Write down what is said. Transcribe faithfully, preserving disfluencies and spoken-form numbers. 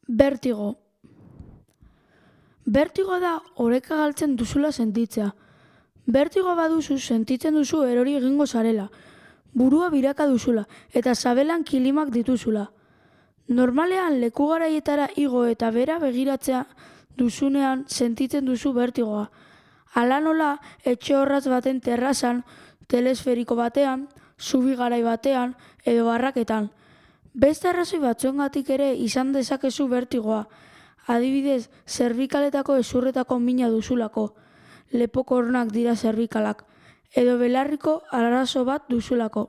Bertigo. Bertigo da oreka galtzen duzula sentitzea. Bertigo baduzu sentitzen duzu erori egingo zarela, burua biraka duzula eta sabelan kilimak dituzula. Normalean leku garaietara igo eta bera begiratzea duzunean sentitzen duzu bertigoa. Hala nola, etxe horratz baten terrazan, telesferiko batean, zubi garai batean edo barraketan. Beste arrazoi batzuengatik ere izan dezakezu bertigoa. Adibidez, zerbikaletako hezurretako mina duzulako, lepokornak dira zerbikalak, edo belarriko arazo bat duzulako.